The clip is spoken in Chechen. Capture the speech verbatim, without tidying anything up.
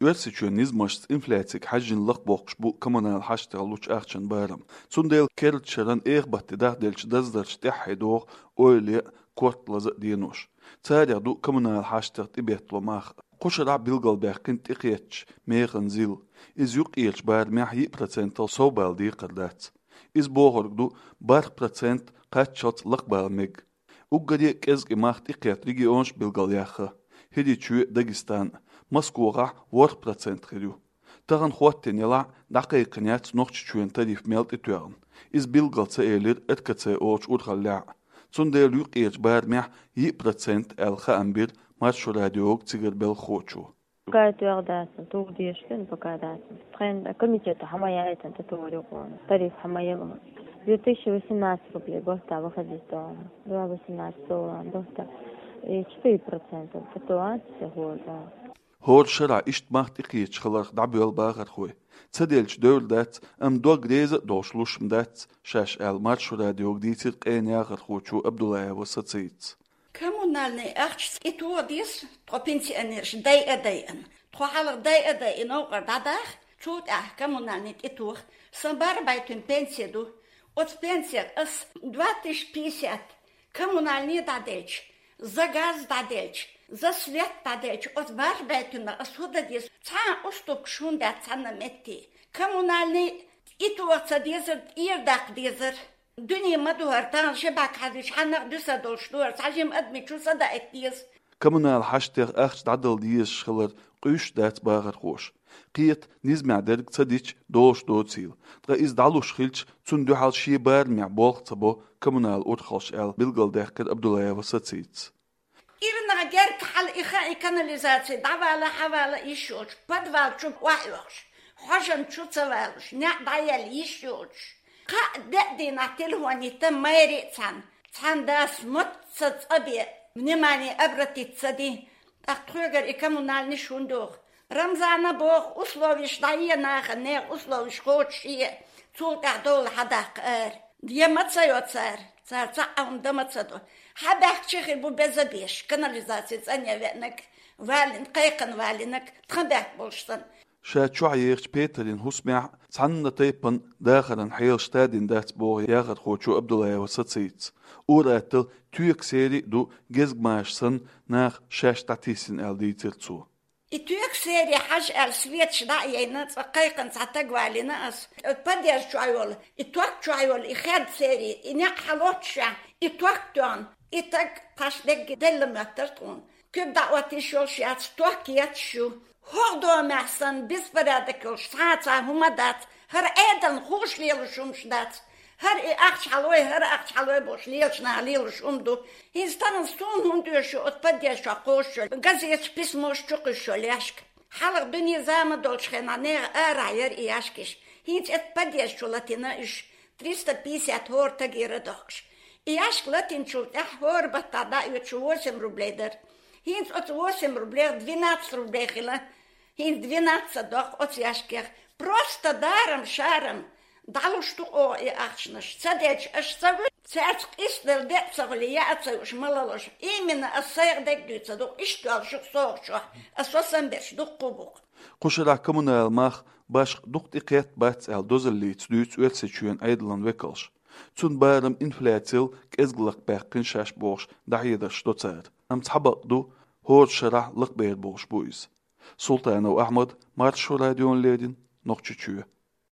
Оьрсийчоьнан низамашца инфляцига хьежжина лакхбохкуш бу коммунал хьаштех лучу ахчан барам. Цундела керда шаран эхабатте дахделча даздарш тӀаьхье догӀу ойла а, корта лаза а денош. Царех ду коммунал хьаштех тӀебеттало мах. Кху шарахь билгалбаьккхина тӀекхеттачу механ зил. Иза юккъерчу барамехь йиъ процентал совбала декхар дац. Иза бохург ду, барх процент кхаччалц лакхабала мега. Уггаре а кӀезиг и мах тӀекхетта регионаш билгалъяьхна: ХӀирийчоь а, Дагестан а. Москвахь ворхӀ процент хир ю. Тахана хӀоттийна елахь а, дӀакхайкхина яц Нохчийчоьнан тариф мел тӀетоьгӀна. Иза билггал ца элира РКЦ олучу урхаллехь а. Цундела юккъерчу барамехь йиъ процент аьлла хаам бира Маршо радиога цигара белхахочо. Пока тоьхна дац, тугӀу дезаш хилла пока дац. Тхайн комитето хьа ма яйтина тӀетоьхна юкъана. Тариф хьа ма елла. Две тысячи восемнадцать рублей бохта выходить дома. Два восемнадцать доллара бохта. И четыре процента тӀетоьхна, всё хӀора. ХӀора шарахь иштта мах тӀекхеташ хиларх дӀабоьлла бахархой. Ца делча девр дац, амма дог реза а долуш луш ма дац шаьш аьлла, Маршо радиога дийцира къена яхархочо Абдуллаева Сацийтас. Коммунальный ахча тӀетоха деза тхо пенсионераш дайа а дайина. Тхо хьалха дайа а дайина, новкъара дӀадаха, цул тӀаьхьа коммунальный тӀетоха. Сан бархӀ бӀе туьма пенсия ду. Оцу пенсиех ас два тысячи пятьдесят коммунальный дӀаделча, за газ дӀаделча, за свет дӀаделча, оцу бархӀ бӀе туьмах ас хӀун дан деза? Цхьа а уступкаш хӀунда дац цхьанна метте? Коммунальный тӀетоха ца дезара, тӀера даккха дезара. Дуьне ма ду хӀара, тахана ши бӀаьрг хьаьжча, хьанна а дуьсур долуш ду хӀара, цхьа жима адамашна чу са даийта деза. Коммунал хьаштех ахча дӀадала дезаш хилар къуьйсуш дац бахархоша. Кхета, низамехь дерг ца дича, долуш доцийла. Ткъа иза дӀалуш хилча, цунна дуьхьал шен барамехь болх ца бо коммунал урхаллаш аьлла, билгалдаьккхира Абдуллаева Сацийтас. Ирнах герга хьала и хан, и канализаци дӀавала, хьавала йиш йоцуш, подвал чу охьаоьхуш, хьожан чу ца валуш, неӀ дӀаяьлла йиш йоцуш. Кхаа-деа дийнахь телефон йитина мэри а цхьаьна, цхьана дас мотт ца цӀа бе, внимание обратить ца дина. ТӀаккха тхоьгара и коммунальныш хӀунда доху? Рамзана боху, условиш дӀае нахана, нехан условиш кхочушъе, цул тӀаьхьа довла хьадаккха ара. Я ма ца йо цара, цара цхьа а хӀума дан ма ца до. Хьабаьхкича хир бу беза беш, канализаци цӀанъян веанарг, валина, кхайкхина валинарг, тхан баьхка болуш санна. Ша чохь ехачу петарийн хӀусамехь цхьанна тайпана дахаран хьелаш тадина дац боху яхархочо Абдуллаева Сацийтас. Ур-атталла тоька серий а ду, гезгмаша санна, нах шаьш дӀатийсина аьлла дийцира цо. И тоька серий хьажа аьлла, светаш дӀа а яйна, цкъа кхайкхина цхьа таг валийна ас. Подъезд чохь йолу, и ток чохь йолу, и хед серий, и неӀ хьалоццушехь, и ток тоьхна, и таг тхаш дегги делла моьттура тхуна. Куьг дӀаотта йиш йолуш яц, ток етташ ю. ХӀокху домехь санна беспорядок йолуш цхьа а цхьа хӀума дац, хӀара Ӏедална хууш лелаш хӀумаш дац. ХӀара и ахча хьалой, хӀара ахча хьалой бохуш лелаш наха лелаш хӀума ду. ХӀинца тахана суна хӀунда оьшу оцу подъезд чохь кхочуш йолу газеташ, письмош чу кхуьссуш йолу яьшка? Хьалха дуьне зама долчу хенахь нехан арахь яра и яьшкаш. ХӀинца оцу подъезд чу латийна уьш, триста пятьдесят хӀора тагера дохкуш. И яьшка латийначул тӀаьхьа хӀора баттахь дӀаоьцуш восемь рублей дара. ХӀинца оцу восемь рублех двенадцать рублей хилла. ХӀинца двенадцать доккху оцу яьшкех. Просто дарам-шарам дӀалуш ду оха и ахчанаш. Ца дечу аша ца вуьту, цаьрца къийсадала де а ца хуьлу, яа а ца юуш, ма лалуш. Именно ас сайх дерг дуьйцу, дукха иштта йолуш ю-кх согӀучохь. Ас сан берш дуккха а бу-кх. Кху шарахь коммунал мах башха дукха тӀекхетта бац аьлла дозаллица дуьйцу Оьрсийчоьнан Ӏедалан векалш. Цунна барам инфляцил кӀезиг лакхабаьккхина шаьш бохуш дӀахьедарш до цара. Амма цхьа бакъ ду, хӀора шарахь лакхабер болуш бу иза. Султанов Ахьмад, Маршо радиона леррина, Нохчийчоь.